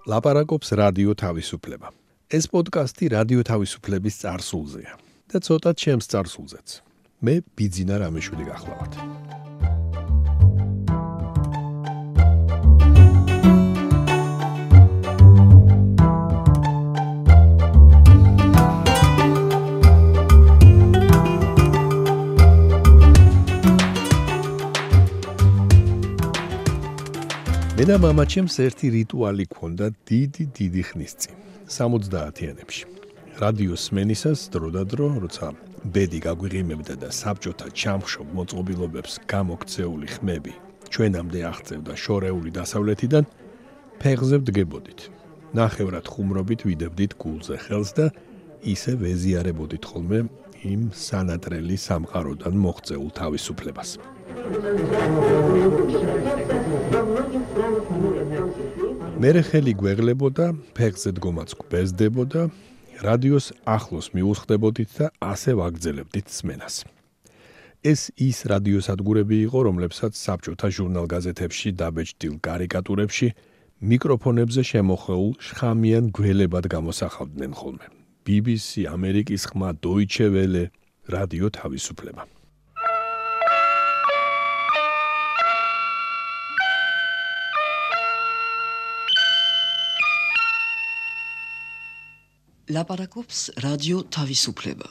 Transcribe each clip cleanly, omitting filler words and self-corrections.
ლაპარაკობს რადიო თავისუფლება. ეს პოდკასტი რადიო თავისუფლების წარსულზეა და ცოტა ჩემს წარსულზეც. მე ბიძინა რამიშვილი გახლავართ. მე და მამაჩემს ერთი რიტუალი ჰქონდა დიდი ხნის წინ, 70-იანებში. რადიოს სმენისას დრო, როცა ბედი გაგვიღიმებდა და საბჭოთა ჩამხშობ მოწყობილობებს გამოქცეული ხმები ჩვენამდე აღწევდა შორეული დასავლეთიდან, ფეხზე ვდგებოდით. ნახევრად ხუმრობით ვიდებდით გულზე ხელს და ისე ვეზიარებოდით ხოლმე იმ სანატრელი სამყაროდან მოღწეულ თავისუფლებას. მერე ხელი გვეღლებოდა, ფეხზე დგომაც გვბეზდებოდა, რადიოს ახლოს მიუხვდებოდით და ასე ვაგრძელებდით სმენას. ეს ის რადიოსადგურები იყო, რომლებსაც საბჭოთა ჟურნალ-გაზეთებში დაბეჭდილ კარიკატურებში მიკროფონებზე შემოხვეულ შხამიან გველებად გამოსახავდნენ ხოლმე. BBC, ამერიკის ხმა, Deutsche Welle, რადიო თავისუფლება. ლაპარაკობს რადიო თავისუფლება.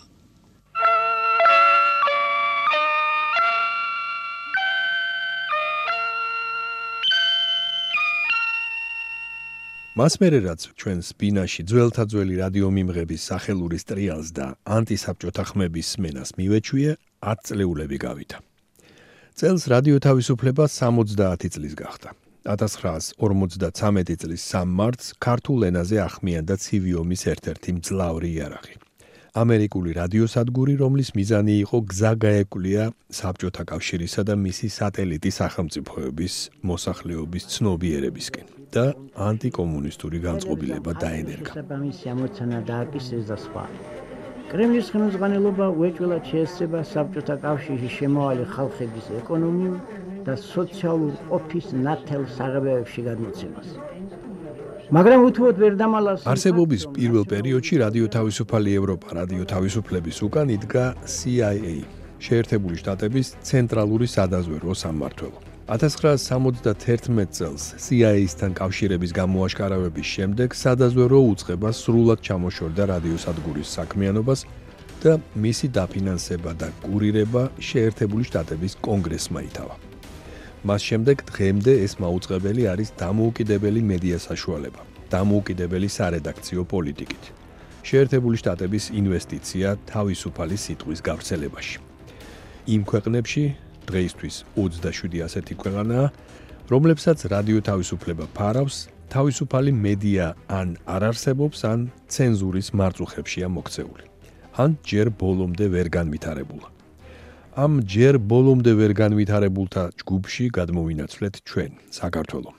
მას მერე რაც ჩვენ სპინაში ძველთაძველი რადიომიმღების სახელურის ტრიალს და ანტისაბჭოთა ხმების სმენას მივეჩვია, 10 წლეულები გავიდა. წელს რადიო თავისუფლება 70 წლის გახდა. 1953 წლის 3 მარტს ქართულ ენაზე ახმიანდა ცივი ომის ერთ-ერთი მძლავრი იარაღი. ამერიკული რადიოსადგური, რომლის მიზანი იყო გზა გაეკვლია საბჭოთა კავშირისა და მისი სატელიტი სახელმწიფოების მოსახლეობის ცნობიერებისკენ და ანტიკომუნისტური განწყობილება დაენერგა. კრემლის ხელმძღვანელობა უეჭველად შეესწრება საბჭოთა კავშირში შემავალი ხალხების ეკონომიურ და სოციალურ ყოფის ნათელ საღებავებში გადმოცემას. მაგრამ უთუოდ ვერ დამალავს არსებობის პირველ პერიოდში რადიო თავისუფალი ევროპა რადიო თავისუფლების უკან იდგა CIA, შეერთებული შტატების ცენტრალური სადაზვერვო სამმართველო. 1971 წელს CIA-სთან კავშირების გამოაშკარავების შემდეგ სადაზვერვო უწყება სრულად ჩამოშორდა რადიოსადგურის საქმიანობას და მისი დაფინანსება და კურირება შეერთებული შტატების კონგრესმა ითავა. მას შემდეგ დღემდე ეს მაუწყებელი არის დამოუკიდებელი მედია საშუალება, დამოუკიდებელი სარედაქციო პოლიტიკით. შეერთებული შტატების ინვესტიცია თავისუფალი სიტყვის გავრცელებაში. იმ ქვეყნებში დღეისთვის 27 ასეთი ქვეყანაა, რომლებსაც რადიო თავისუფლება ფარავს, თავისუფალი მედია ან არ არსებობს, ან ცენზურის მარწუხებშია მოქცეული. ან ჯერ ბოლომდე ვერ განვითარებულა. ამ ჯერ ბოლომდე ვერ განვითარებულთა ჯგუფში გადმოვინაცვლეთ ჩვენ, საქართველო,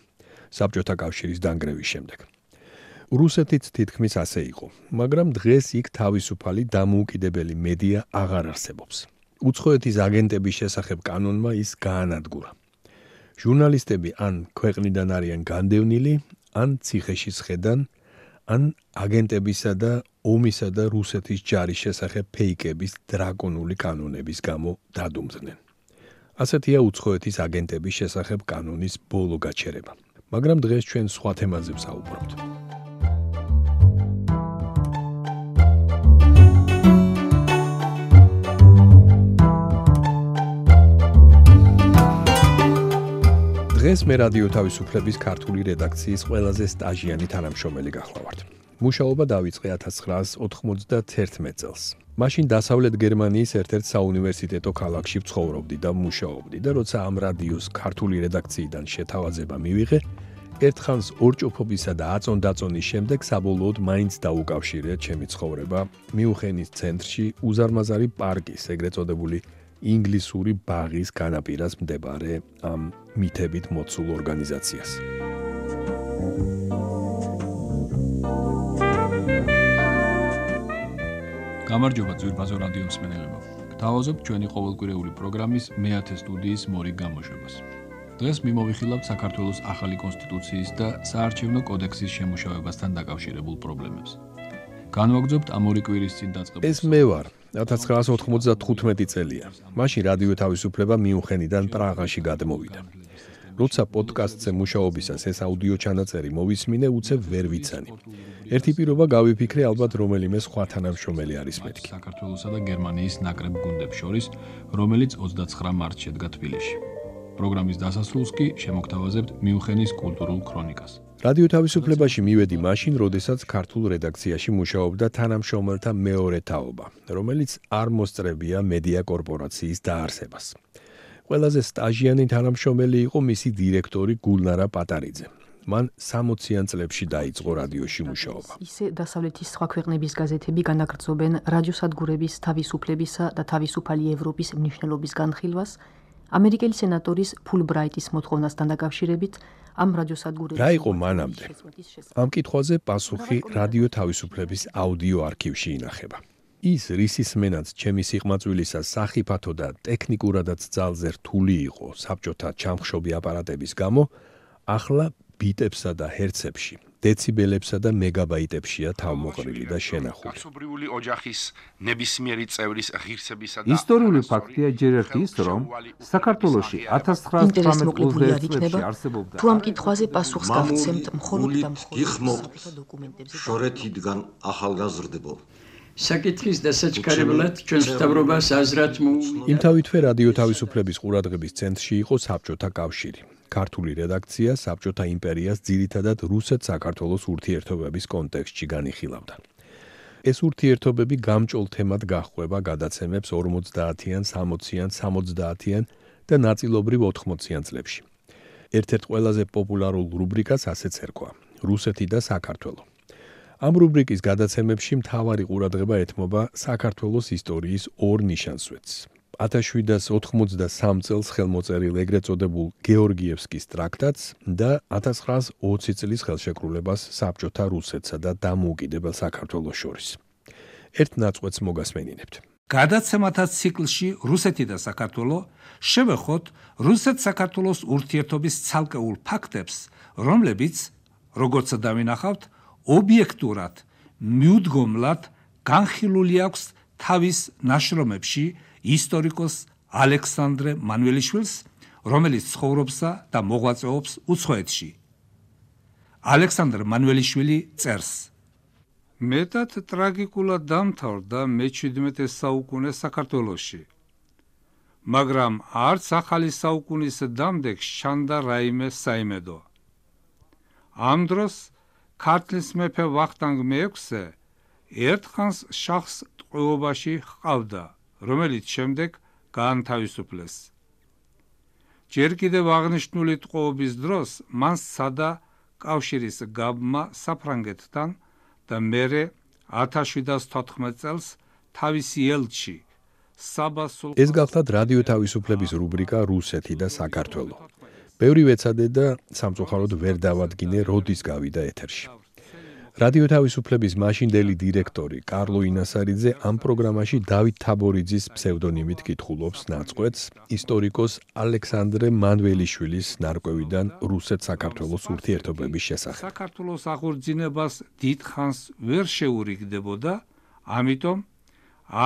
საბჭოთა კავშირის დანგრევის შემდეგ. რუსეთიც თითქმის ასე იყო, მაგრამ დღეს იქ თავისუფალი დამოუკიდებელი მედია აღარ არსებობს. უცხოეთის აგენტების შესახებ კანონმა ის გაანადგურა. ჟურნალისტები ან ქვეყნიდან არიან განდევნილი, ან ციხეში სხედან, ან აგენტებისა და ომისა და რუსეთის ჯარის შესახებ ფეიკების დრაკონული კანონების გამო დადუმდნენ. ასეთია უცხოეთის აგენტების შესახებ კანონის ბოლო გაჩერება. მაგრამ დღეს ჩვენ სხვა თემაზე ვსაუბრობთ. დღეს მე რადიო თავისუფლების ქართული რედაქციის ყველაზე სტაჟიანი თანამშრომელი გახლავართ. მუშაობა დაიწყე 1991 წელს. მაშინ დასავლეთ გერმანიის ერთ-ერთ საუნივერსიტეტო ქალაქში ვცხოვრობდი და მუშაობდი და როცა ამ რადიოს ქართული რედაქციიდან შეთავაზება მივიღე, ერთხანს ორჭოფობისა და აწონ-დაწონის შემდეგ საბოლოოდ მაინც დაუკავშირე ჩემი ცხოვრება მიუნხენის ცენტრში უზარმაზარი პარკის, ეგრეთ წოდებული ინგლისური ბაღის განაპირას მდებარე ამ მითებით მოცულ ორგანიზაციას. გამარჯობა ძვირფასო რადიო მსმენელებო. გთავაზობთ ჩვენი ყოველკვირეული პროგრამის მე-10 სტუდიის მორიგ გამოშვებას. დღეს მიმოვიხილავთ საქართველოს ახალი კონსტიტუციის და საარჩევნო კოდექსის შემუშავებასთან დაკავშირებულ პრობლემებს. განვაგრძობთ ამ ორი კვირის წინ დაწყებულ. ეს მე ვარ. 1995 წელია. მაშინ რადიო თავისუფლება მიუნხენიდან პრაღაში გადმოვიდა. როცა პოდკასტზე მუშაობისას ეს აუდიო ჩანაწერი მოვისმინე, უცებ ვერ ვიცანი. ერთი პირობა გავიფიქრე, ალბათ რომელიმე სხვა თანამშრომელი არის მეთქი. საქართველოსა და გერმანიის ნაკრებ გუნდებს შორის, რომელიც 29 მარტს შედგა თბილისში. პროგრამის დასასრულს კი შემოგთავაზებთ მიუნხენის კულტურულ ქრონიკას. რადიო თავისუფლებაში მივედი მაშინ, როდესაც ქართულ რედაქციაში მუშაობდა თანამშრომელთა მეორე თაობა, რომელიც არ მოსწრებია მედია კორპორაციის დაარსებას. ყველაზე სტაჟიანი თანამშრომელი იყო მისი დირექტორი გულნარა პატარიძე. მან 60-იან წლებში დაიწყო რადიოში მუშაობა. ისე დასავლეთის სხვა ქვეყნების გაზეთები განაგრძობენ რადიოსადგურების თავისუფლებისა და თავისუფალი ევროპის მნიშვნელობის განხილვას, ამერიკელი სენატორის ფულბრაიტის მოთხოვნასთან დაკავშირებით ამ რადიოსადგურების რა იყო მანამდე? ამ კითხვაზე პასუხი რადიო თავისუფლების აუდიო არქივში ინახება. ის რისისმენაც ჩემი სიყმაწვილისა სახიფათო და ტექნიკურადაც ძალზე რთული იყო საბჭოთა ჩამხშობი აპარატების გამო, ახლა ბიტებსა და ჰერცებში, დეციბელებსა და მეგაბაიტებშია თავმოყრილი და შენახული. კაცობრიული ოჯახის ნებისმიერი წევრის ღირსებისა და ისტორიული ფაქტია ჯერ ერთ ის, რომ საქართველოში 1991 წლებში არსებობდა თუ ამ კითხვაზე პასუხს გავცემთ მხოლოდ და მხოლოდ დოკუმენტებზე შორეთიდან ახალგაზრდებო. საკითხის დასაჩქარებლად ჩვენს მთავრობას აზრად იმთავითვე რადიო თავისუფლების ყურადღების ცენტრში იყო საბჭოთა კავშირი. ქართული რედაქცია საბჭოთა იმპერიას ძირითადად რუსეთ-საქართველოს ურთიერთობების კონტექსტში განიხილავდა. ეს ურთიერთობები გამჭოლ თემად გაჰყვება გადაცემებს 50-იან, 60-იან, 70-იან და ნაწილობრივ 80-იან წლებში. ერთ-ერთ ყველაზე პოპულარულ რუბრიკას ასეც ერქვა: რუსეთი და საქართველო. ამ რუბრიკის გადაცემებში მთავარი ყურადღება ეთმობა საქართველოს ისტორიის ორ ნიშანსვეტს. 1793 წელს ხელმოწერილ ეგრეთ წოდებულ გეორგიევსკის ტრაქტატს და 1920 წლის ხელშეკრულებას საბჭოთა რუსეთსა და დამოუკიდებელ საქართველოს შორის. ერთ ნაწყვეტს მოგასმენინებთ. გადაცემათა ციკლში რუსეთი და საქართველო შევეხოთ რუსეთ-საქართველოს ურთიერთობის ცალკეულ ფაქტებს, რომლებიც, როგორც დავინახავთ, ობიექტურად, მიუდგომლად განხილული აქვს თავის ნაშრომებში ისტორიკოს ალექსანდრე მანველიშვილს, რომელიც ცხოვრობსა და მოღვაწეობს უცხოეთში. ალექსანდრე მანველიშვილი წერს: მეტად ტრაგიკულად დამთავრდა მე-17 საუკუნე საქართველოში, მაგრამ არც ახალი საუკუნის დამდეგ შანდა რაიმე საიმედო. ამ დროს ქართლის მეფე ვახტანგ მე-6 ერთხანს შახს ტყვეობაში ჰყავდა, რომელიც შემდეგ გაანთავისუფლეს. ჯერ კიდევ აღნიშნული ტყვეობის დროს მან სცადა კავშირის გაბმა საფრანგეთთან და მერე 1714 წელს თავისი ელჩი საბასულ. ეს გახლავთ რადიო თავისუფლების რუბრიკა რუსეთი და საქართველო. ბევრი ვეცადე და სამწუხაროდ ვერ დავადგინე, როდის გავიდა ეთერში. რადიო თავისუფლების მაშინდელი დირექტორი კარლო ინასარიძე ამ პროგრამაში დავით თაბორიძის ფსევდონიმით კითხულობს ნაწყვეტს ისტორიკოს ალექსანდრე მანველიშვილის ნარკვევიდან რუსეთ-საქართველოს ურთიერთობების შესახებ. საქართველოს აღორძინებას დიდხანს ვერ შეურიგდებოდა, ამიტომ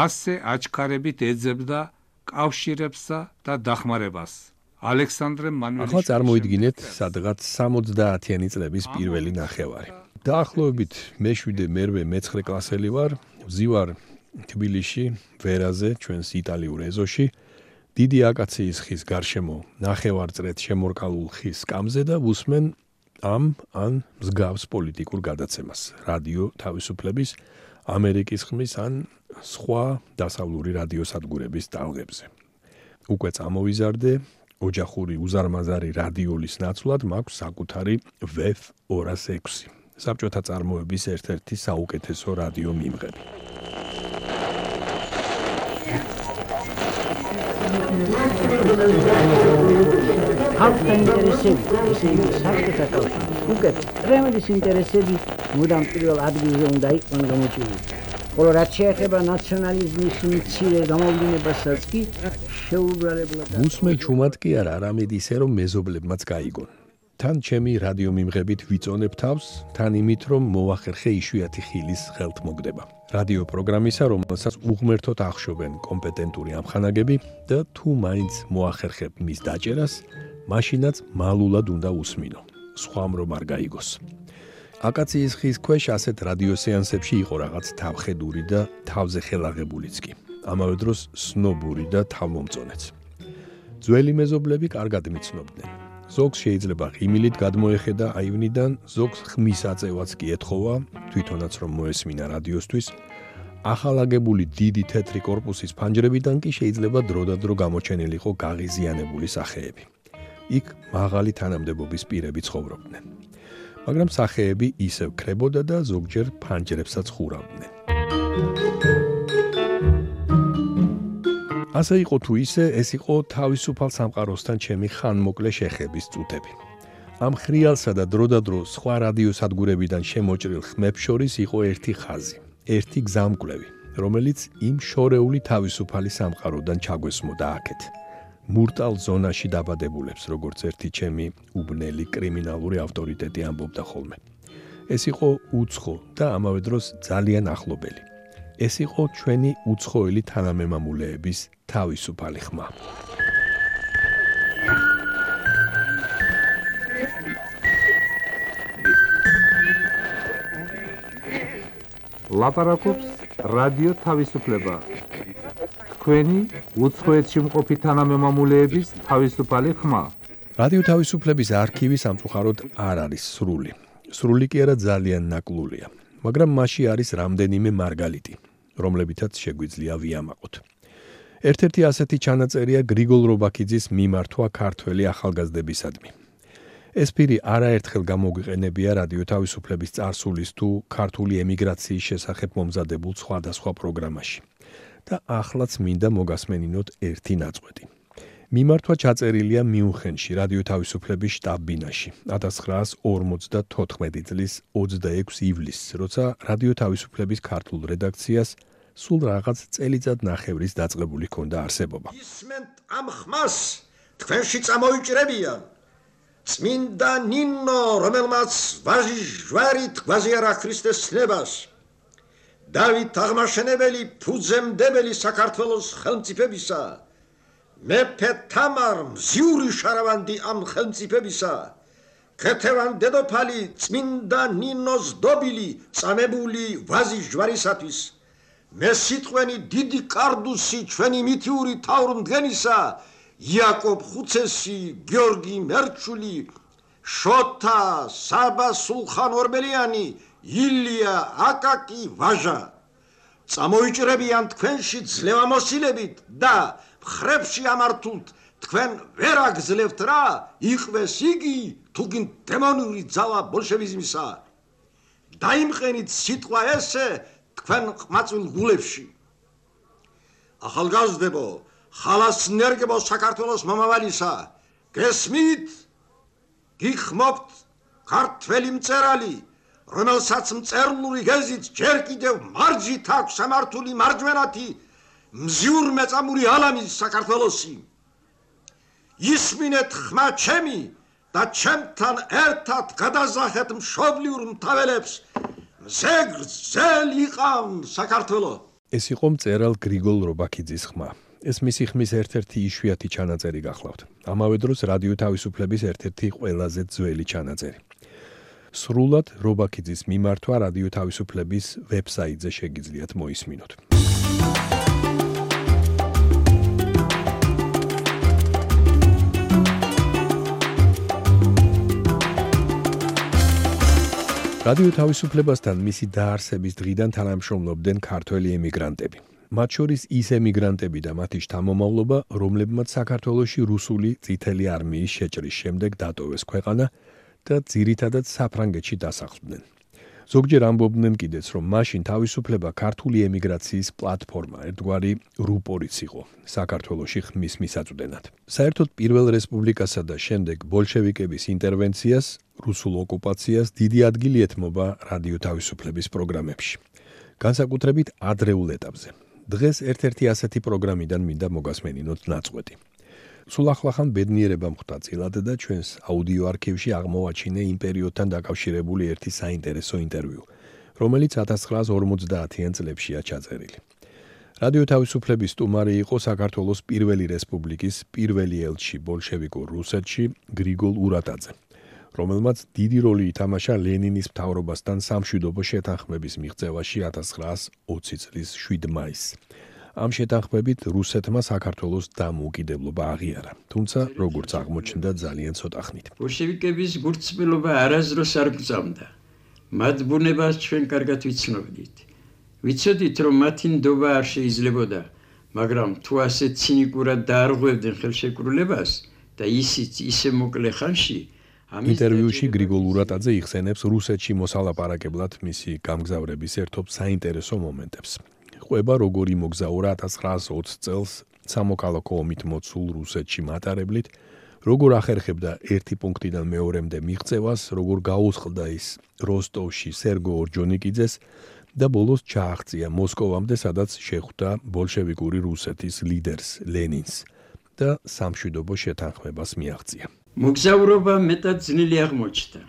ასე აჩქარებით ეძებდა კავშირებსა და დახმარებას. ალექსანდრე მანველიშვილი. ახლა წარმოიდგინეთ სადღაც 70-იანი წლების პირველი ნახევარი. დაახლოებით მე-7 კლასელი ვარ, ვზივარ თბილისში, ვერაზე, ჩვენს იტალიურ ეზოში, დიდი აკაციის ხის გარშემო ნახევარწრეთ შემორკალულ ხის სკამზე და ვუსმენ ამ ან მსგავს პოლიტიკურ გადაცემას, რადიო თავისუფლების, ამერიკის ხმის ან სხვა დასავლური რადიოსადგურების ტალღებზე. უკვე წამოვიზარდე, ოჯახური უზარმაზარი რადიოლის ნაცვლად მაქვს საკუთარი VF 206. საბჭოთა წარმოების ერთ-ერთი საუკეთესო რადიო მიმღები. ხალხთა ინტერესები, ესე იგი საბჭოთა კავშირის უკეთ კრემლის ინტერესები მუდამ პირველ ადგილზე უნდა იყვნენ გამოჩენილი. ხოლო რაც შეეხება ნაციონალიზმის მცირე გამოვლინებასაც კი შეუბრალებლად. უსმენ ჩუმად კი არა, არამედ ისე რომ მეზობლებმაც გაიგონ. თან ჩემი რადიო მიმღებით ვიწონებ თავს, თან იმით რომ მოვახერხე იშვიათი ხილის ხელთ მოგდება. რადიო პროგრამისა, რომელსაც უღმერთოდ ახშობენ კომპეტენტური ამხანაგები და თუ მაინც მოახერხებ მის დაჭერას, მაშინაც მალულად უნდა უსმინო. სხვამ რომ არ გაიგოს. აკაციის ხის ქვეშ ასეთ რადიო სეანსებში იყო რაღაც თავხედური და თავზე ხელაღებულიც კი. ამავე დროს სნობური და თავმომწონეც. ძველი მეზობლები კარგად მიცნობდნენ. ზოგს შეიძლება ღიმილით გადმოეხედა აივნიდან, ზოგს ხმის აწევაც კი ეთხოვა, თვითონაც რომ მოესმინა რადიოსთვის. ახალაგებული დიდი თეთრი კორპუსის ფანჯრებიდან კი შეიძლება დროდადრო გამოჩენილიყო გაღიზიანებული სახეები. იქ მაღალი თანამდებობის პირები ცხოვრობდნენ. მაგრამ სახეები ისევ ქრებოდა და ზოგჯერ ფანჯრებსაც ხურავდნენ. ასე იყო თუ ისე, ეს იყო თავისუფალ სამყაროსთან ჩემი ხანმოკლე შეხების წუთები. ამ ხრიალსა და დროდადრო სხვა რადიოსადგურებიდან შემოჭრილ ხმებს შორის იყო ერთი ხაზი, ერთი გზამკვლევი, რომელიც იმ შორეული თავისუფალი სამყაროდან ჩაგვესმოდა აქეთ. მურტალ ზონაში დაბადებულებს, როგორც ერთი ჩემი უბნელი კრიმინალური ავტორიტეტი ამბობდა ხოლმე. ეს იყო უცხო და ამავე დროს ძალიან ახლობელი. ეს იყო ჩვენი უცხოელი თანამემამულეების თავისუფალი ხმა. ლაპარაკობს რადიო თავისუფლება. თქვენი უცხოეთში მყოფი თანამემამულეების თავისუფალი ხმა. რადიო თავისუფლების არქივი სამწუხაროდ არ არის სრული. სრული კი არა ძალიან ნაკლულია. მაგრამ მასში არის რამდენიმე მარგალიტი, რომლებითაც შეგვიძლია ვიამაყოთ. ერთ-ერთი ასეთი ჩანაწერია გრიგოლ რობაქიძის მიმართვა ქართველი ახალგაზრდებისადმი. ეს პირი არაერთხელ გამოგვიყენებია რადიო თავისუფლების წარსულის თუ ქართული ემიგრაციის შესახებ მომზადებულ სხვადასხვა პროგრამაში. და ახლაც მინდა მოგასმენინოთ ერთი ნაწყვეტი. მიმართვა ჩაწერილია მიუნხენში, რადიო თავისუფლების შტაბ-ბინაში, 1954 წლის 26 ივლისს, როცა რადიო თავისუფლების ქართულ რედაქციას სულ რაღაც წელიწად ნახევრის დაწყებული ჰქონდა არსებობა. ისმენთ ამ ხმას თქვენში წამოიჭრებიან. წმინდა ნინო, რომელმაც ვაჟი ჟვარით გვაზიარა ქრისტეს ცნებას. დავით აღმაშენებელი, ფუძემდებელი საქართველოს ხელმწიფებისა. მეფე თამარ, მზიური შარავანდი ამ ხელმწიფებისა. ქეთევან დედოფალი, წმინდა ნინოს დობილი, წამებული ვაზი ჟვარისათვის. მესიტყვენი დიდი კარდუსი ჩვენი მითიური თავრმდგენისა, იაკობ ხუცესი, გიორგი მერჩული, შოთა, საბა სულხან ორბელიანი, ილია აკაკი ვაჟა. წამოიჭრებიან თქვენში ძლევამოსილებით და ხრებში ამართულთ თქვენ ვერ აგძლევთ რა, იყვეს იგი თუ გინ დემონური ძალა ბოლშევიზმისა. დაიმყენით სიტყვა ესე თქვენ ყმაწვილ გულებში. ახალგაზრდებო, ხალასნერგებო საქართველოს მომავალისა, გესმით? გიხმობთ ქართველი მწერალი, რომელსაც მწერლური გეზით ჯერ კიდევ მარჯით აქვს სამართული მარჯვენათი მზიურ მეწამული ალამის საქართველოსი. ისმინეთ ხმა ჩემი და ჩემთან ერთად გადაზახეთ მშობლიურ მთაველებს. მზეგრძელ იყავ საქართველო. ეს იყო მწერალ გრიგოლ რობაქიძის ხმა. ეს მისი ხმის ერთ-ერთი იშვიათი ჩანაწერი გახლავთ. ამავე დროს რადიო თავისუფლების ერთ-ერთი ყველაზე ძველი ჩანაწერი. სრულად რობაქიძის მიმართვა რადიო თავისუფლების ვებსაიტზე შეგიძლიათ მოისმინოთ. რადიო თავისუფლებასთან მისი დაარსების დღიდან თანამშრომლობდნენ ქართველი ემიგრანტები. მათ შორის ის ემიგრანტები და მათი შთამომავლობა, რომლებმაც საქართველოში რუსული წითელი არმიის შეჭრის შემდეგ დატოვეს ქვეყანა და ძირითადად საფრანგეთში დასახლდნენ. ზოგჯერ ამბობდნენ კიდეც, რომ მაშინ თავისუფლება ქართული ემიგრაციის პლატფორმა, ერთგვარი რუპორიც იყო საქართველოში ხმის მისაწვდენად. საერთოდ პირველ რესპუბლიკასა და შემდეგ ბოლშევიკების ინტერვენციას, რუსულ ოკუპაციას დიდი ადგილი ეთმობა რადიო თავისუფლების პროგრამებში. განსაკუთრებით ადრეულ ეტაპზე. დღეს ერთ-ერთი ასეთი პროგრამიდან მინდა მოგასმენინოთ ნაწყვეტი. სულ ახლახან ბედნიერება მხვდა წილად და ჩვენს აუდიო არქივში აღმოვაჩინე იმ პერიოდთან დაკავშირებული ერთი საინტერესო ინტერვიუ, რომელიც 1950-იან წლებშია ჩაწერილი. რადიო თავისუფლების სტუმარი იყო საქართველოს პირველი რესპუბლიკის პირველი ელჩი ბოლშევიკურ რუსეთში გრიგოლ ურატაძე, რომელმაც დიდი როლი ითამაშა ლენინის მთავრობასთან სამშვიდობო შეთანხმების მიღწევაში 1920 წლის 7 მაისს. ამ შეთანხმებით რუსეთმა საქართველოს დამოუკიდებლობა აღიარა, თუმცა როგორც აღმოჩნდა ძალიან ცოტა ხნით. ბოლშევიკების გულწრფელობა არასდროს არ გწამდა. მათ ბუნებას ჩვენ კარგად ვიცნობდით. ვიცოდით, რომ მათი ნდობა არ შეიძლებოდა, მაგრამ თუ ასე ცინიკურად დაარღვევდნენ ხელშეკრულებას და ისიც ისე მოკლე ხანში, ინტერვიუში გრიგოლ ურატაძე იხსენებს რუსეთში მოსალაპარაკებლად მისი გამგზავრების ერთობ საინტერესო მომენტებს. ყვება როგორ იმოგზაურა 1920 წელს სამოქალაქო ომით მოცულ რუსეთში მატარებლით, როგორ ახერხებდა ერთი პუნქტიდან მეორემდე მიღწევას, როგორ გაუსყდა ის როსტოვში სერგო ორჯონიკიძეს და ბოლოს ჩააღწია მოსკოვამდე, სადაც შეხვდა ბოლშევიკური რუსეთის ლიდერს ლენინს და სამშვიდობო შეთანხმებას მიაღწია. მოგზაურობა მეტად ძნელი აღმოჩნდა.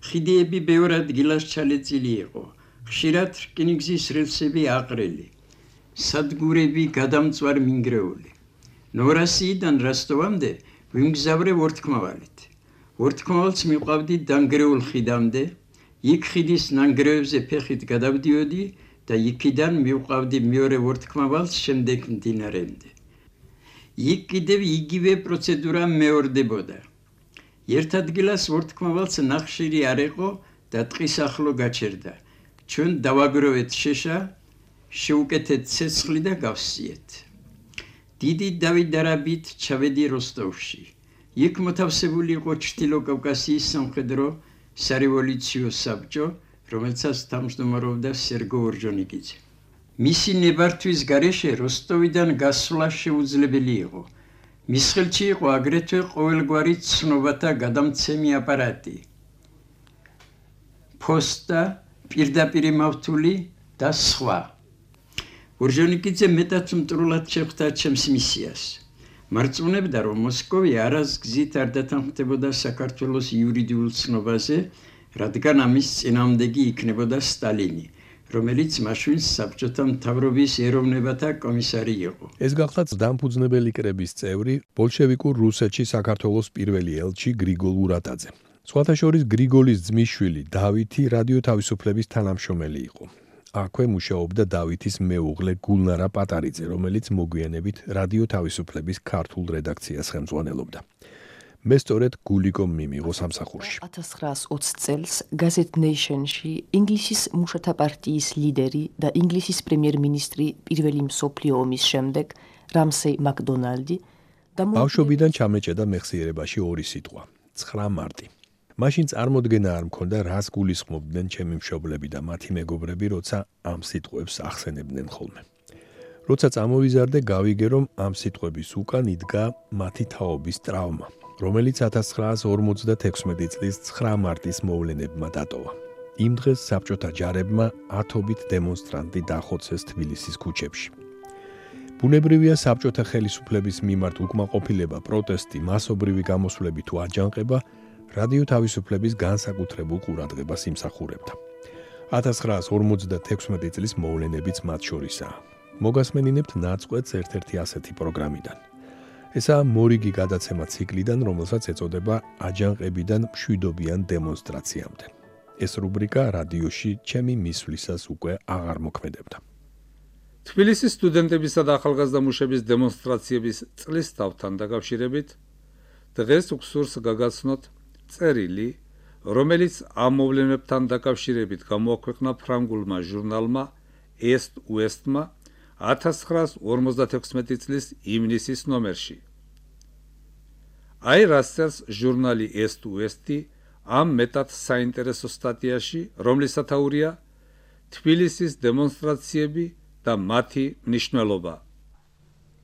ხიდიები ბევრ ადგილას ჩალეწილი იყო. ხშირად რკინიგზის რელსები აყრელი, სადგურები გადამწვარ მინგრეული. ნორასიიდან როსტოვამდე ვიმგზავრე ვორთქმავალით. ვორთქმავალს მივყავდი დანგრეულ ხიდამდე, იქ ხიდის ნანგრევებზე ფეხით გადავდიოდი და იქიდან მივყავდი მეორე ვორთქმავალს შემდეგ მდინარემდე. იქ კიდევ იგივე პროცედურა მეორდებოდა. ერთ ადგილას ვორთქმავალს ნახშირი არ იყო და ტყის ახლო გაჩერდა. ჩვენ დავაგროვეთ შეშა, შევუკეთეთ ცეცხლი და გავსიეთ. დიდი დავიდარაბით ჩავედი როსტოვში. იქ მოთავსებული იყო ჩრდილო კავკასიის სამხედრო სარევოლუციო საბჭო, რომელსაც თავმჯდომარეობდა სერგო ორჯონიკიძე. მისი ნებართვის გარეშე როსტოვიდან გასვლა შეუძლებელი იყო. მის ხელში იყო აგრეთვე ყოველგვარი ცნობათა გადამცემი აპარატი, ფოსტა, პირდაპირი მავთული და სხვა. ორჯონიკიძე მეტად მტრულად შეხვდა ჩემს მისიას. მარწმუნებდა, რომ მოსკოვი არას გზით არ დათანხმდებოდა საქართველოს იურიდიულ ცნობაზე, რადგან ამის წინააღმდეგი იქნებოდა სტალინი, რომელიც მაშინ საბჭოთა მთავრობის ეროვნებათა კომისარი იყო. ეს გახლავთ დამფუძნებელი კრების წევრი, ბოლშევიკურ რუსეთში საქართველოს პირველი ელჩი გრიგოლ ურატაძე. სხვათა შორის გრიგოლის ძმისშვილი დავითი რადიო თავისუფლების თანამშრომელი იყო. აქვე მუშაობდა დავითის მეუღლე გულნარა პატარიძე, რომელიც მოგვიანებით რადიო თავისუფლების ქართულ რედაქციას ხელმძღვანელობდა. მე სწორედ გულიკომ მიმიღო სამსახურში. 1920 წელს გაზეთ ნეიშენში ინგლისის მუშათა პარტიის ლიდერი და ინგლისის პრემიერ-მინისტრი პირველი მსოფლიო ომის შემდეგ რამსეი მაკდონალდი ბავშვობიდან ჩამეჭედა მეხსიერებაში ორი სიტყვა: 9 მარტი. მაშინ წარმოდგენა არ მქონდა, რას გულისხმობდნენ ჩემი მშობლები და მათი მეგობრები, როცა ამ სიტყვებს ახსენებდნენ ხოლმე. როცა წამოვიზარდე, გავიგე, რომ ამ სიტყვების უკან იდგა მათი თაობის ტრავმა, რომელიც 1956 წლის 9 მარტის მოვლენებმა დატოვა. იმ დღეს საბჭოთა ჯარებმა ათობით დემონსტრანტი დახოცეს თბილისის ქუჩებში. ბუნებრივია საბჭოთა ხელისუფლების მიმართ უკმაყოფილება, პროტესტი, მასობრივი გამოსვლები თუ აჯანყება რადიო თავისუფლების განსაკუთრებულ ყურადღებას იმსახურებდა. 1956 წლის მოვლენებიც მათ შორისაა. მოგასმენინებთ ნაწყვეტს ერთ-ერთი ასეთი პროგრამიდან. ესაა მორიგი გადაცემა ციკლიდან, რომელსაც ეწოდება აჯანყებიდან მშვიდობიან დემონსტრაციამდე. ეს რუბრიკა რადიოში ჩემი მისვლისას უკვე აღარ მოქმედებდა. თბილისის სტუდენტებისა და ახალგაზრდა მუშების დემონსტრაციების წლის თავთან დაკავშირებით დღეს უხსურს გაგაცნოთ წერილი, რომელიც ამ მოვლენებთან დაკავშირებით გამოაქვეყნა ფრანგულმა ჟურნალმა Est-Ouest-მა 1956 წლის ივნისის ნომერში. აი რას წერს ჟურნალი Est-Ouest-ი ამ მეტად საინტერესო სტატიაში, რომლის სათაურია თბილისის დემონსტრაციები და მათი მნიშვნელობა.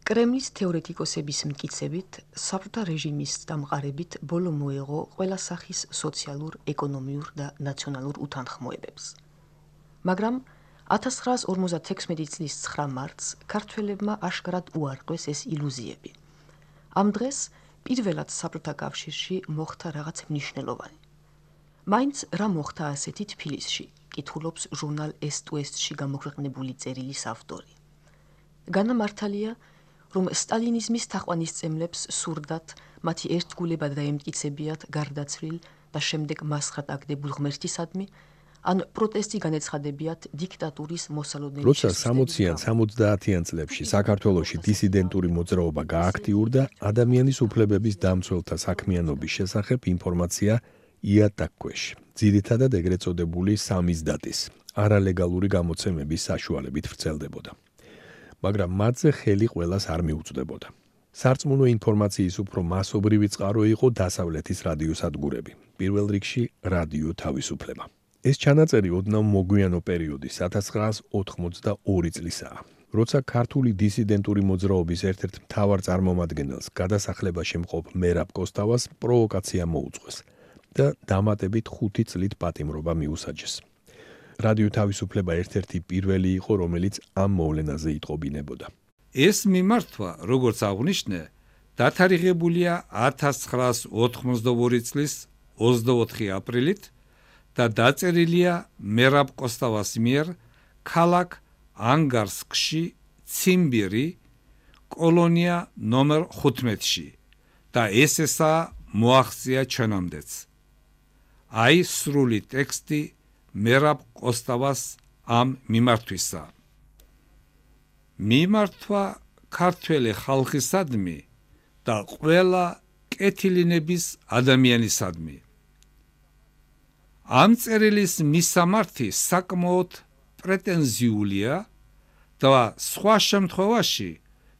კრემლის თეორეტიკოსების მტკიცებით, საბჭოთა რეჟიმის დამყარებით ბოლო მოეღო ყველა სახის სოციალურ, ეკონომიურ და ნაციონალურ უთანხმოებებს. მაგრამ 1956 წლის 9 მარტს ქართველებმა აშკარად უარყვეს ეს ილუზიები. ამ დღეს პირველად საბჭოთა კავშირში მოხდა რაღაც მნიშვნელოვანი. მაინც რა მოხდა ასეთი თბილისში, კითხულობს ჟურნალ Est-Ouest-ში გამოქვეყნებული წერილის ავტორი. განამართალია, რომ სტალინიზმის თაყვანისმცემლებს სურდათ მათი ერთგულებად დაემტკიცებიათ გარდაცვლილ და შემდეგ მასხად აგდებულ ღმერთისადმი, ან პროტესტი განეცხადებიათ დიქტატურის მოსალოდნელი როცა 60-იან 70-იან წლებში საქართველოში დისიდენტური მოძრაობა გააქტიურდა, ადამიანის უფლებების დამცველთა საქმიანობის შესახებ ინფორმაცია იატაკქვეში, ძირითადად ეგრეთ წოდებული სამიზდატის, არალეგალური გამოცემების საშუალებით ვრცელდებოდა. მაგრამ მათზე ხელი ყველას არ მიუწვდებოდა. სარწმუნო ინფორმაციის უფრო მასობრივი წყარო იყო დასავლეთის რადიოსადგურები, პირველ რიგში რადიო თავისუფლება. ეს ჩანაწერი ოდნავ მოგვიანო პერიოდის 1982 წლისაა, როცა ქართული დისიდენტური მოძრაობის ერთ-ერთ მთავარ წარმომადგენელს გადასახლებაში მყოფ მერაბ კოსტავას პროვოკაცია მოუწყვეს და დამატებით 5 წლით პატიმრობა მიუსაჯეს. რადიო თავისუფლება ერთ-ერთი პირველი იყო, რომელიც ამ მოვლენაზე იტყობინებოდა. ეს მიმართვა, როგორც აღნიშნე, დათარიღებულია 1982 წლის 24 აპრილით და დაწერილია მერაბ კოსტავას მიერ ქალაქ ანგარსკში, ციმბირი, კოლონია ნომერ 15-ში და ესა მოაღწია ჩვენამდეც. აი სრული ტექსტი მერაბ კოსტავას ამ მიმართვისა. მიმართვა ქართველი ხალხისადმი და ყველა კეთილინების ადამიანისადმი. ამ წერილის მისამართი საკმაოდ პრეტენზიულია და სხვა შემთხვევაში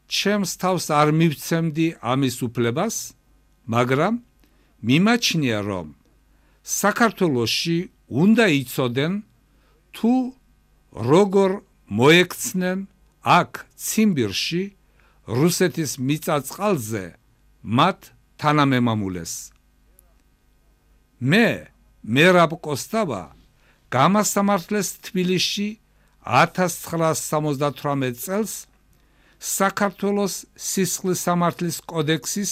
ჩემს თავს არ მივცემდი ამის უფლებას, მაგრამ მიმაჩნია, რომ საქართველოში უნდა იცოდნენ თუ როგორ მოექცნენ აქ ციმბირში რუსეთის მიწა-წყალზე მათ თანამემამულეს. მე მერაბ კოსტავა გამასამართლეს თბილისში 1978 წელს საქართველოს სისხლის სამართლის კოდექსის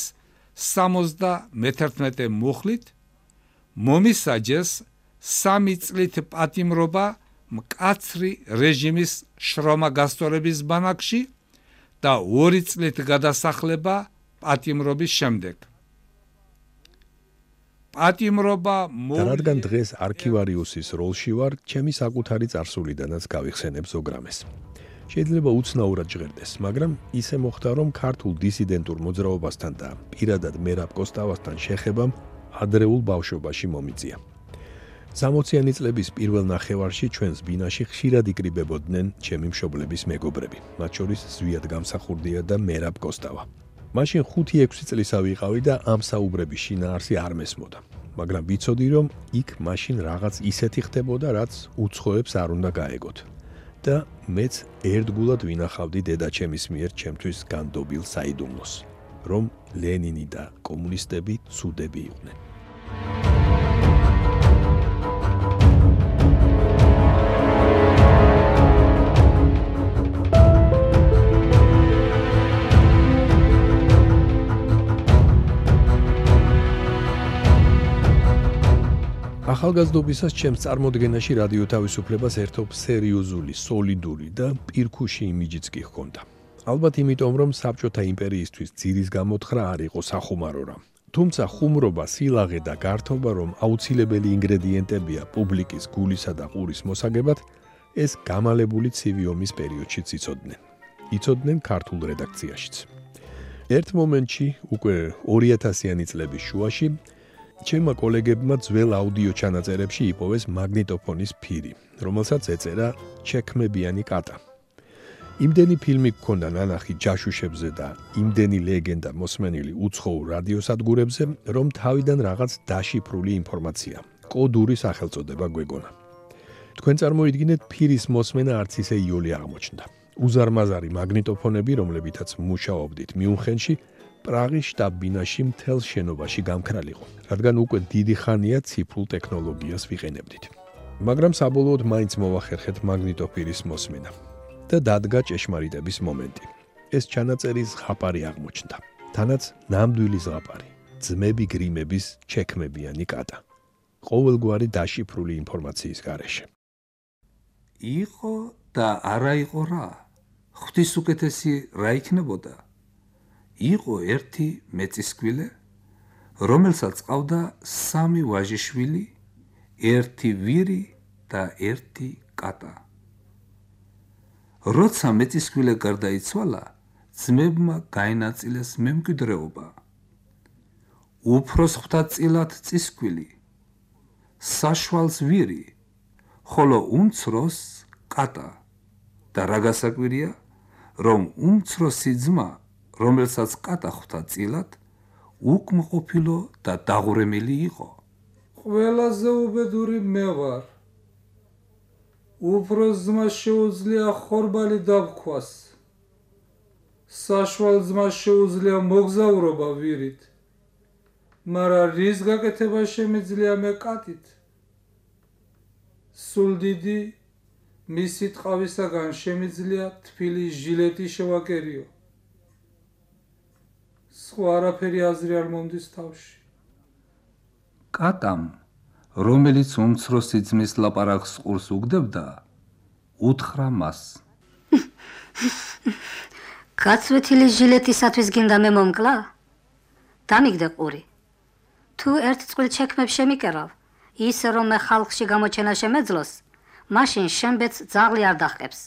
71 მუხლით მომისაჯეს 3 წლით პატიმრობა მკაცრი რეჟიმის შრომაგასწორების ბანაკში და 2 წლით გადასახლება პატიმრობის შემდეგ. პატიმრობა რადგან დღეს არქივარიუსის როლში ვარ, ჩემი საკუთარი წარსულიდანაც გავიხსენებ ზოგრამეს. შეიძლება უცნაურად ჟღერდეს, მაგრამ ისე მოხდა, რომ ქართულ დისიდენტურ მოძრაობასთან და პირადად მერაბ კოსტავასთან შეხებამ ადრეულ ბავშვობაში მომიწია. 60-იანი წლების პირველ ნახევარში ჩვენს ბინაში ხშირად იკრიბებოდნენ ჩემი მშობლების მეგობრები, მათ შორის ზვიად გამსახურდია და მერაბ კოსტავა. მაშინ 5-6 წლისა ვიყავი და ამ საუბრების შინაარსი არ მესმოდა, მაგრამ ვიცოდი, რომ იქ მაშინ რაღაც ისეთი ხდებოდა, რაც უცხოებს არ უნდა გაეგოთ. და მეც ერთგულად ვინახავდი დედაჩემის მიერ ჩემთვის განდობილ საიდუმლოს, რომ ლენინი და კომუნისტები ცუდები იყვნენ. ახალგაზრდობისას ჩემს წარმოდგენაში რადიო თავისუფლებას ერთობს სერიოზული, სოლიდური და პირქუში იმიჯიც კი ჰქონდა. ალბათ იმიტომ, რომ საბჭოთა იმპერიისთვის ძირის გამოთხრა არ იყო სახუმარო რამ. თუმცა ხუმრობა, სილაღე და გართობა, რომ აუცილებელი ინგრედიენტებია პუბლიკის გულისა და ყურის მოსაგებად, ეს გამალებული ცივი ომის პერიოდშიც იცოდნენ. იცოდნენ ქართულ რედაქციაშიც. ერთ მომენტში, უკვე 2000-იანი წლების შუაში, ჩემმა კოლეგებმა ძველ აუდიო ჩანაწერებში იპოვეს მაგნიტოფონის ფირი, რომელსაც ეწერა ჩექმებიანი კატა. იმდენი ფილმი გქონდა ნანახი ჯაშუშებზე და იმდენი ლეგენდა მოსმენილი უცხოურ რადიოსადგურებზე, რომ თავიდან რაღაც დაშიფრული ინფორმაცია, კოდური სახელწოდება გვეგონა. თქვენ წარმოიდგინეთ, ფირის მოსმენა არც ისე იოლი აღმოჩნდა. უზარმაზარი მაგნიტოფონები, რომლებითაც მუშაობდით მიუნხენში, პრაღის შტაბ-ბინაში მთელ შენობაში გამქრალიყო, რადგან უკვე დიდი ხანია ციფრულ ტექნოლოგიას ვიყენებდით. მაგრამ საბოლოოდ მაინც მოვახერხეთ მაგნიტოფირის მოსმენა და დადგა ჭეშმარიტების მომენტი. ეს ჩანაწერი ზღაპარი აღმოჩნდა. თანაც ნამდვილი ზღაპარი, ძმები გრიმების ჩექმებიანი კატა. ყოველგვარი დაშიფრული ინფორმაციის გარეშე. იყო და არა იყო რა? ღვთის უკეთესი რა იქნებოდა? იყო ერთი მეწისკვილე, რომელსაც ყავდა 3 ვაჟიშვილი, ერთი ვირი და ერთი კატა. როცა მეწისკვილე გარდაიცვალა, ძმებმა გაენაწილეს მემკვიდრეობა. უფროს ღვთაწილად წისკვილი, საშვალს ვირი, ხოლო უმცროს კატა. და რა გასაკვირია, რომ უმცროსი ძმა, რომელსაც კატა ღვთაწილად, უკმაყოფილო და დაღურემელი იყო. ყველაზე უბედური მე ვარ. უფროს ძმას შეუძლია ხორბალი დავქვას. საშვალ ძმას შეუძლია მოგზაურობა ვირით. მაგრამ რის გაკეთება შემიძლია მე კატით? სულ დიდი მისი ტყავისაგან შემიძლია თბილი ჟილეტი შევაკერიო. სხვა არაფერი აზრი არ მომდის თავში. კატამ, რომელიც უმცროსი ძმის ლაპარაკს ყურს უგდებდა, უთხრა მას. გაცვეთილი ჟილეტისათვის გინდა მე მომკლა? დამიგდე ყური. თუ ერთ წყვილ ჩექმებს შემიკერავ, ისე რომ მე ხალხში გამოჩენა შემეძლოს, მაშინ შემბეც ძაღლი არ დახკებს.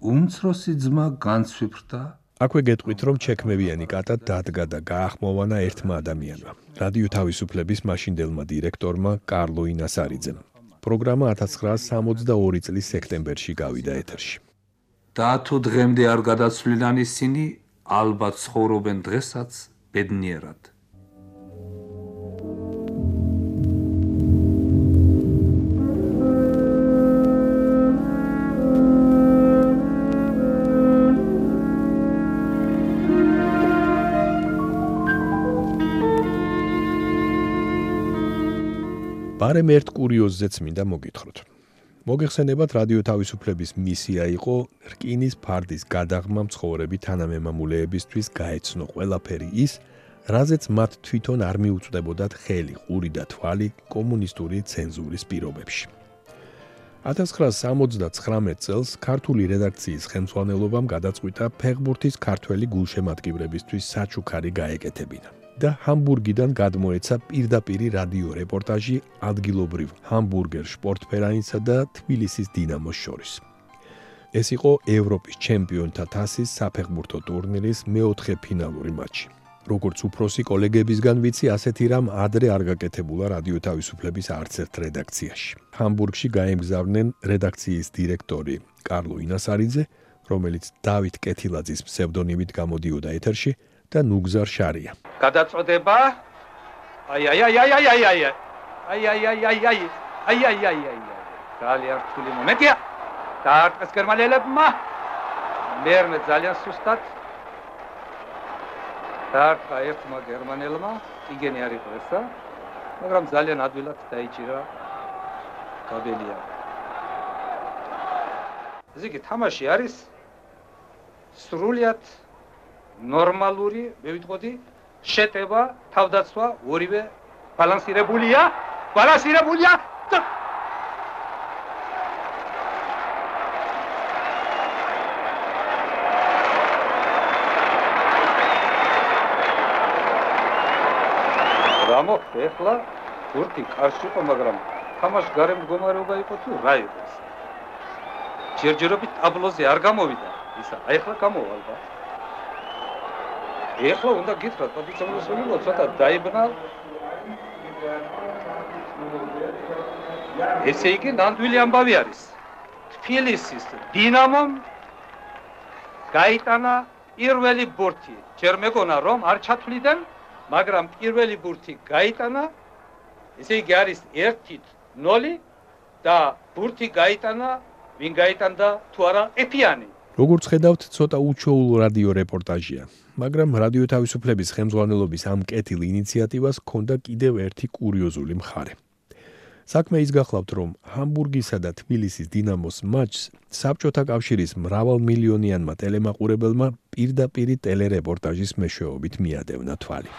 უმცროსი ძმა განცვიფრდა. აქვე გეტყვით, რომ ჩექმებიანი კატა დადგა და გაახმოვანა ერთმა ადამიანმა, რადიო თავისუფლების მაშინდელმა დირექტორმა კარლო ინასარიძემ. პროგრამა 1962 წლის სექტემბერში გავიდა ეთერში. და თუ დღემდე არ გადაცვლილან ისინი, ალბათ ცხოვრობენ დღესაც ბედნიერად. ბარემ ერთ კურიოზზეც მინდა მოგითხროთ. მოგეხსენებათ, რადიო თავისუფლების მისია იყო რკინის ფარდის გადაღმა მცხოვრები თანამემამულეებისთვის გაეცნო ყველაფერი ის, რაზეც მათ თვითონ არ მიუწვდებოდათ ხელი, ყური და თვალი კომუნისტური ცენზურის პირობებში. 1979 წელს ქართული რედაქციის ხელმძღვანელობამ გადაწყვიტა ფეხბურთის ქართველი გულშემატკივრებისთვის საჩუქარი გაეკეთებინა. და ჰამბურგიდან გადმოეცა პირდაპირი რადიო რეპორტაჟი ადგილობრივ ჰამბურგერ შპორტფერაინსა და თბილისის დინამოს შორის. ეს იყო ევროპის ჩემპიონთა თასის საფეხბურთო ტურნირის მეოთხე ფინალური მატჩი. როგორც უფროსი კოლეგებისგან ვიცი, ასეთი რამ ადრე არ გაკეთებულა რადიო თავისუფლების არც ერთ რედაქციაში. ჰამბურგში გაემგზავრნენ რედაქციის დირექტორი კარლო ინასარიძე, რომელიც დავით კეთილაძის ფსევდონიმით გამოდიოდა ეთერში, და ნუგზარ შარია. გადაწოდება? ძალიან რთული მომენტია. დაარტყეს გერმანელებმა. მერმე ძალიან სუსტად. დაარტყა ერთმა გერმანელმა, იგენი არ იყო ესა, მაგრამ ძალიან ადვილად დაიჭირა კაბელია. ესე იგი, თამაში არის სრულიად ნორმალური, მე ვიტყოდი, შეტევა, თავდაცვა, ორივე ბალანსირებულია. რამო, ეხლა ბურთი კარში იყო, მაგრამ თამაში გარემ მდგომარეობა იყო თუ რა იყო ეს? ჯერჯერობით ტაბლოზე არ გამოვიდა ისა, აი ახლა გამოვა ალბათ. ეხლა უნდა გითხრათ, პატიცამოსულიყო ცოტა დაიბნა. ესე იგი, ნამდვილი ამბავი არის. თბილისის დინამომ გაიტანა პირველი ბურთი. ჯერ მეგონა რომ არ ჩათვლიდნენ, მაგრამ პირველი ბურთი გაიტანა. ესე იგი არის 1-0 და ბურთი გაიტანა, ვინ გაიტანდა თუ არა ეფიანი. როგორც ხედავთ, ცოტა უჩვეულო რადიო რეპორტაჟია, მაგრამ რადიო თავისუფლების ხელმძღვანელობის ამ კეთილ ინიციატივას ჰქონდა კიდევ ერთი კურიოზული მხარე. საქმე ის გახლავთ, რომ ჰამბურგისა და თბილისის დინამოს მატჩს საბჭოთა კავშირის მრავალმილიონიანმა ტელემაყურებელმა პირდაპირ ტელერეპორტაჟის მეშვეობით მიადევნა თვალი.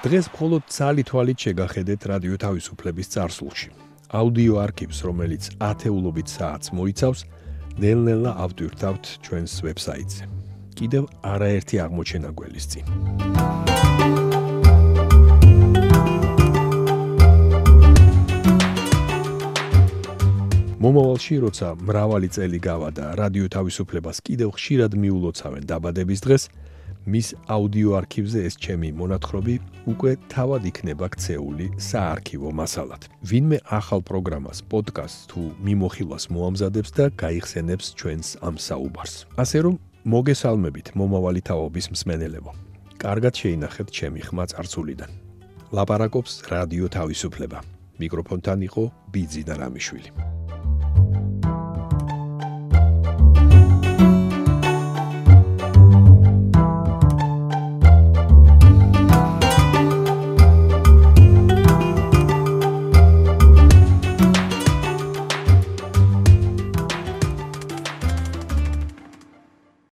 დღეს მხოლოდ ცალი თვალით შეგახედეთ რადიო თავისუფლების წარსულში. აუდიო არქივს, რომელიც ათეულობით საათს მოიცავს, ნელ-ნელა ავტვირთავთ ჩვენს ვებსაიტზე. კიდევ არაერთი აღმოჩენა გველის წინ. მომავალში, როცა მრავალი წელი გავადა, რადიო თავისუფლებას კიდევ ხშირად მიულოცავენ დაბადების დღეს, მის აუდიო არქივზე ეს ჩემი მონათხრობი უკვე თავად იქნება ქცეული საარქივო მასალად. ვინმე ახალ პროგრამას, პოდკასტს თუ მიმოხილვას მოამზადებს და გაიხსენებს ჩვენს ამ საუბარს. ასე რომ მოგესალმებით მომავალი თაობის მსმენელებო. კარგად შეინახეთ ჩემი ხმა წარსულიდან. ლაპარაკობს რადიო თავისუფლება. მიკროფონთან იყო ბიძინა რამიშვილი.